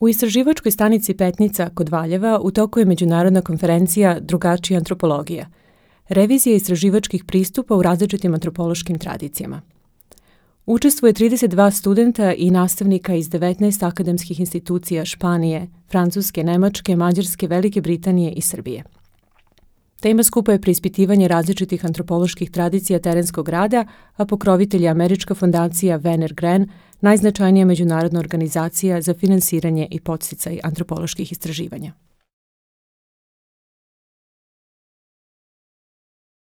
U istraživačkoj stanici Petnica kod Valjeva u toku je međunarodna konferencija Drugačija antropologija, revizija istraživačkih pristupa u različitim antropološkim tradicijama. Učestvuje 32 studenta i nastavnika iz 19 akademskih institucija Španije, Francuske, Nemačke, Mađarske, Velike Britanije i Srbije. Tema skupa je preispitivanje različitih antropoloških tradicija terenskog rada, a pokrovitelj je Američka fondacija Werner Gren, najznačajnija međunarodna organizacija za finansiranje i podsticaj antropoloških istraživanja.